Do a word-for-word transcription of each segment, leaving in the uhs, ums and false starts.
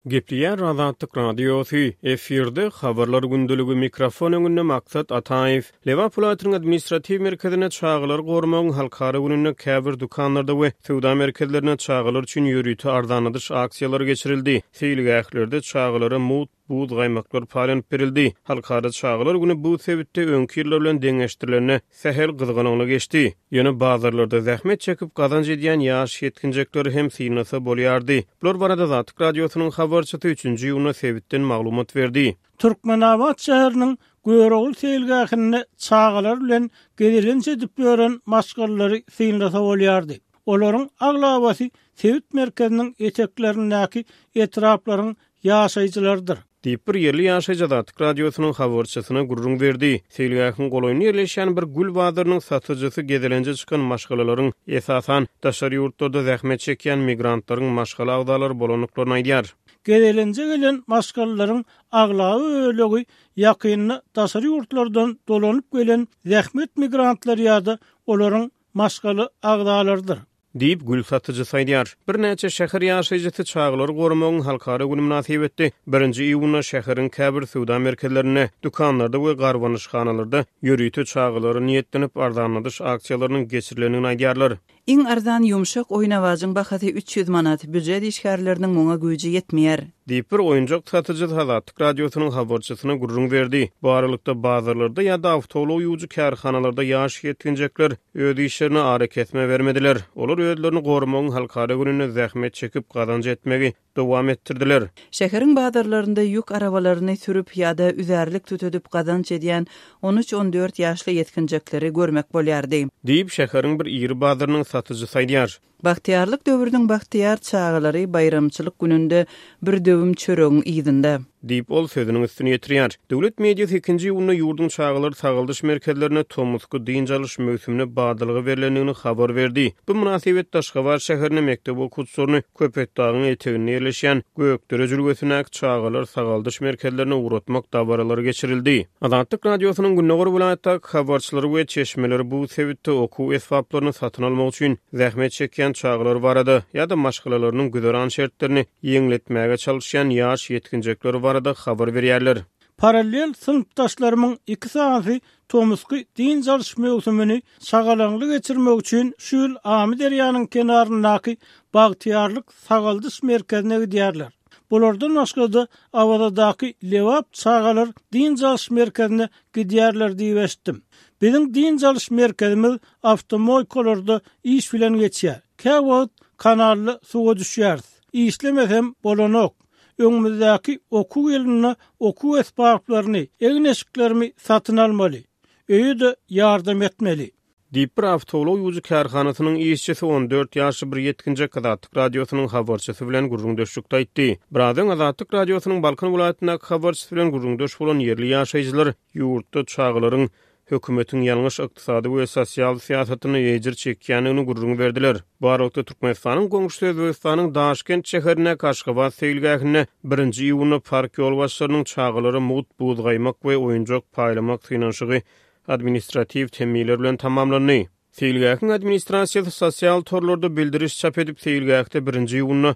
Gepleýär Azatlyk Radiosy, efirde Habarlar gündeligi, mikrofon öňünde Maksat Ataýew. Lebap welaýatynyň administratiw merkezinde Çagalary goramagyň halkara gününde käbir dükanlarda we söwda merkezlerinde çagalar üçin ýörite arzanladyş aksiýalary geçirildi. Seýilgählerde çagalara mugt buz gaýmaklar paýlanyp berildi. Halkara çagalar güni bu sebitde öňki ýyllar bilen deňeşdirilende sähel gyzgalaňly geçdi. Ýöne bazarlarda zähmet çekip gazanç edýän ýaş ýetginjekleri hem synlasa bolýardy. Bular barada Azatlyk Radiosynyň habarçysy üçünji iýunda sebitden maglumat berdi. Türkmenabat şäheriniň Görogly seýilgähinde çagalar bilen gezelenç edip ýören maşgalalary synlasa bolýardy. Olaryň aglabasy sebit merkeziniň eteklerindäki etraplaryň ýaşaýjylarydyr. Diýip, bir ýerli ýaşaýjy Azatlyk Radiosynyň habarçysyna gürrüň berdi. Seýilgähiň golaýynda ýerleşýän bir gül bazarynyň satyjysy gezelenje çykan maşgalalaryň, esasan, daşary ýurtlarda zähmet çekýän migrantlaryň maşgala agzalary bolandyklaryny aýdýar. Gezelenje gelen maşgalalaryň aglaba bölegi ýakynda daşary ýurtlardan dolanyp gelen zähmet migrantlary ýa-da olaryň maşgala agzalarydyr. Diýip, gül satyjysy aýdýar. Birnäçe şäher ýaşaýjysy çagalary goramagyň halkara güni mynasybetli birinji iýunda şäheriň käbir söwda merkezlerinde, dükanlarda we garbanyşhanalarda ýörite çagalara niýetlenip arzanladyş aksiýalarynyň geçirilendigini aýdýarlar. Iň arzan ýumşak oýnawajyň bahasy üç ýüz manat, býujet işgärleriniň muňa güýji ýetmeýär. Diýip, bir oýunjak satyjysy Azatlyk Radiosynyň habarçysyna gürrüň berdi. Bu aralykda, bazarlarda ýa-da awtoulag ýuwujy kärhanalarda ýaş ýetginjekler öz işlerine arakesme bermediler. Olar özlerini goramagyň halkara gününde zähmet çekip gazanç etmegi dowam etdirdiler. Şäheriň bazarlarynda ýük arabalaryny sürüp ýa-da üzärlik tütedip gazanç edýän on üç-on dört ýaşly ýetginjekleri görmek bolýardy. Diýip, şäheriň bir iri bazarynyň satyjysy aýdýar. Bagtyýarlyk döwrüniň bagtyýar çagalary baýramçylyk gününde bir döwüm çöregiň yzynda. Diýip, ol sözüniň üstüni ýetirýär. Döwlet mediasy ikinji iýunda ýurduň çagalar sagaldyş merkezlerine tomusky dynç alyş möwsümine badalga berlendigini habar berdi. Bu mynasybetde Aşgabat şäherinde mekdep okuwçylaryny Köpetdagyň eteginde ýerleşýän Gökdere jülgesindäki çagalar sagaldyş merkezlerine ugratmak dabaralary geçirildi. Azatlyk Radiosynyň gündogar welaýatdaky habarçylary we çeşmeleri bu sebitde okuw esbaplaryny satyn almak üçin zähmet çekýän çagalar barada ýa-da maşgalalarynyň güzeran şertlerini ýeňletmäge çalyşýan ýaş ýetginjekler barada habar berýärler. Parallel synpdaşlarymyň iki sany tomusky dynç alyş möwsümini şagalaňly geçirmek üçin şu ýyl Amyderýanyň kenaryndaky Bagtyýarlyk sagaldyş merkezine gidýärler. Bulardan başga-da Awazadaky Lebap çagalar dynç alyş merkezine gidýärler diýip eşitdim. Biziň dynç alyş merkezimiz awtomoýkalarda iş bilen geçýär. Käwagt kanalda suwa düşýäris. Işlemesem bolanok. Öňümizdäki okuw ýylynda okuw esbaplaryny, egin-eşiklerimi satyn almaly. Öýe-de ýardam etmeli. Diýip, bir awtoulag ýuwujy kärhanasynyň işçisi on dört ýaşly bir ýetginjek Azatlyk Radiosynyň habarçysy bilen gürrüňdeşlikde aýtdy. Biraz öň Azatlyk Radiosynyň Balkan welaýatyndaky habarçysy bilen gürrüňdeş bolan ýerli ýaşaýjylar ýurtda çagalaryň hökümetiň ýalňyş ykdysady we sosial syýasatyny ejir çekýändigini gürrüň berdiler. Bu aralykda Türkmenistanyň goňşusy Özbegistanyň Daşkent şäherindäki Aşgabat seýilgähinde birinji iýunda park ýolbaşçylarynyň çagalara mugt buz gaýmak we oýunjak paýlamak synanyşygy administratiw temmiler bilen tamamlandy. Seýilgähiň administrasiýasy sosial torlarda bildiriş çap edip, seýilgähde birinji iýunda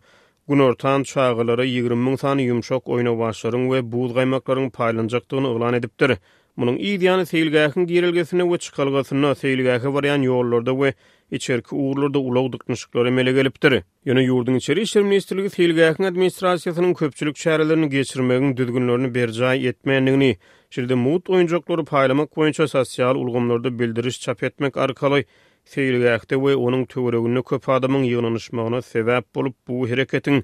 günortan çagalara ýigrimi müň sany ýumşak oýnawaçlaryň we buz gaýmaklaryň paýlanjakdygyny yglan edipdir. Munuň yz ýany seýilgähiň girelgesinde we çykalgasynda, seýilgähe barýan ýollarda we içerki ugurlarda ulag dyknyşyklary emele gelipdir. Ýöne ýurduň Içeri işler ministrligi seýilgähiň administrasiýasynyň köpçülik çärelerini geçirmegiň düzgünlerini berjaý etmändigini, şeýle-de mugt oýunjaklary paýlamak boýunça sosial ulgamlarda bildiriş çap etmek arkaly seýilgähde we onuň töwereginde köp adamyň ýygnanyşmagyna sebäp bolup, bu hereketiň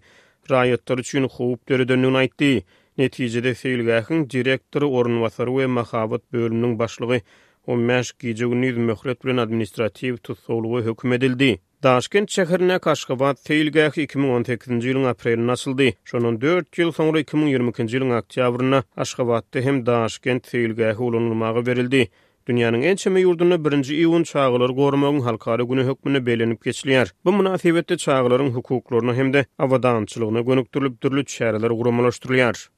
raýatlar üçin howp döredendigini aýtdy. Netijede seýilgähiň direktory, orunbasary we mahabat bölüminiň başlygy on bäş gije-gündiz möhlet bilen administratiw tussaglyga höküm edildi. Daşkent şäherindäki Aşgabat seýilgähi iki müň on sekizinji ýylyň aprelinde açyldy. Şondan dört ýyl soňra iki müň ýigrimi ikinji ýylyň oktýabrynda Aşgabatda hem Daşkent seýilgähi ulanylmaga berildi. Dünýäniň ençeme ýurdunda birinji iýun çagalary goramagyň halkara güni hökmünde bellenip geçilýär. Bu mynasybetde çagalaryň hukuklaryna hem-de abadançylygyna gönükdirilip dürli çäreler guramalaşdyrylýar.